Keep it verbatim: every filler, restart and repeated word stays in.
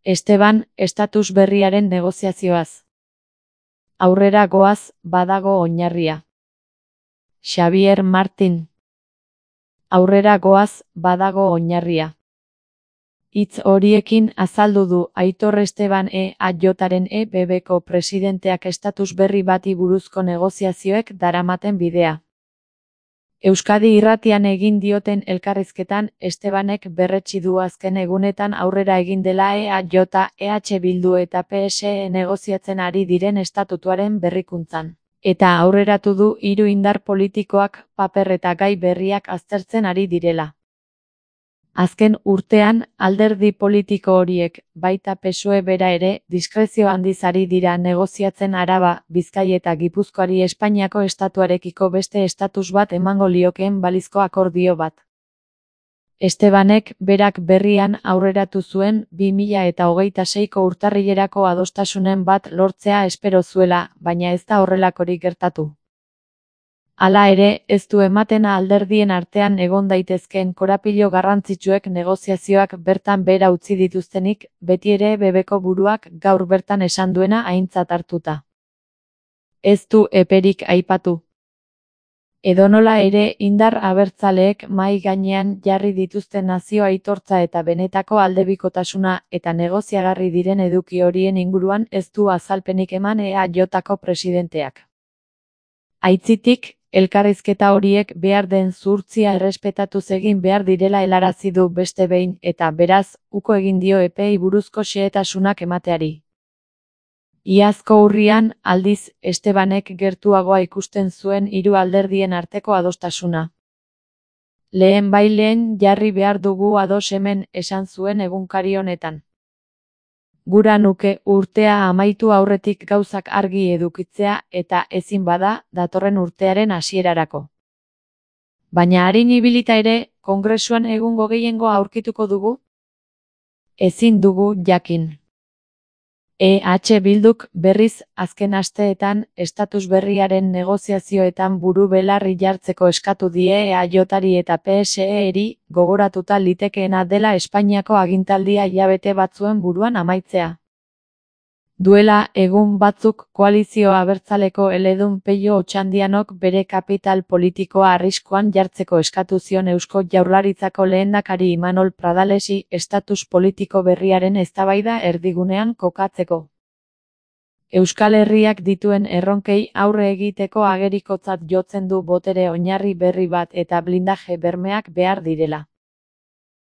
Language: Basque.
Esteban, estatus berriaren negoziazioaz. Aurrera goaz, badago oinarria. Xabier Martin. Aurrera goaz, badago oinarria. Hitz horiekin azaldu du Aitor Esteban E A Jaren E B Bko presidenteak estatus berri bati buruzko negoziazioek daramaten bidea. Euskadi Irratian egin dioten elkarrizketan, Estebanek berretsi du azken egunetan aurrera egin dela E A J, E H Bildu eta P S E negoziatzen ari diren estatutuaren berrikuntzan. Eta aurreratu du hiru indar politikoak paper eta gai berriak aztertzen ari direla. Azken urtean, alderdi politiko horiek, baita P S O E bera ere, diskrezio handiz ari dira negoziatzen Araba, Bizkai eta Gipuzkoari Espainiako estatuarekiko beste estatus bat emango liokeen balizko akordio bat. Estebanek berak berrian aurreratu zuen bi mila eta hogeita seiko urtarrilerako adostasunen bat lortzea espero zuela, baina ez da horrelakorik gertatu. Hala ere, ez du ematen alderdien artean egon daitezkeen korapilo garrantzitsuek negoziazioak bertan behera utzi dituztenik, beti ere B Bko buruak gaur bertan esan duena aintzat hartuta. Ez du eperik aipatu. Edonola ere, indar abertzaleek mahai gainean jarri dituzten nazio aitortza eta benetako aldebikotasuna eta negoziagarri diren eduki horien inguruan ez du azalpenik eman E A Jko presidenteak. Aitzitik, elkarrizketa horiek behar den zuhurtzia errespetatuz egin behar direla helarazi du beste behin eta, beraz, uko egin dio epeei buruzko xehetasunak emateari. Iazko urrian, aldiz, Estebanek gertuagoa ikusten zuen hiru alderdien arteko adostasuna. Lehen baileen jarri behar dugu ados hemen, esan zuen egunkari honetan. Gura nuke urtea amaitu aurretik gauzak argi edukitzea eta ezin bada datorren urtearen hasierarako. Baina arin ibilita ere, Kongresuan egungo gehiengoa aurkituko dugu? Ezin dugu jakin. E H Bilduk berriz azken asteetan estatus berriaren negoziazioetan buru belarri jartzeko eskatu die E A Jari eta P S E-eri, gogoratuta litekeena dela Espainiako agintaldia hilabete batzuen buruan amaitzea. Duela egun batzuk koalizio abertzaleko eledun Pello Otxandianok bere kapital politikoa arriskuan jartzeko eskatu zion Eusko Jaurlaritzako lehendakari Imanol Pradalesi estatus politiko berriaren eztabaida erdigunean kokatzeko. Euskal Herriak dituen erronkei aurre egiteko agerikotzat jotzen du botere oinarri berri bat eta blindaje bermeak behar direla.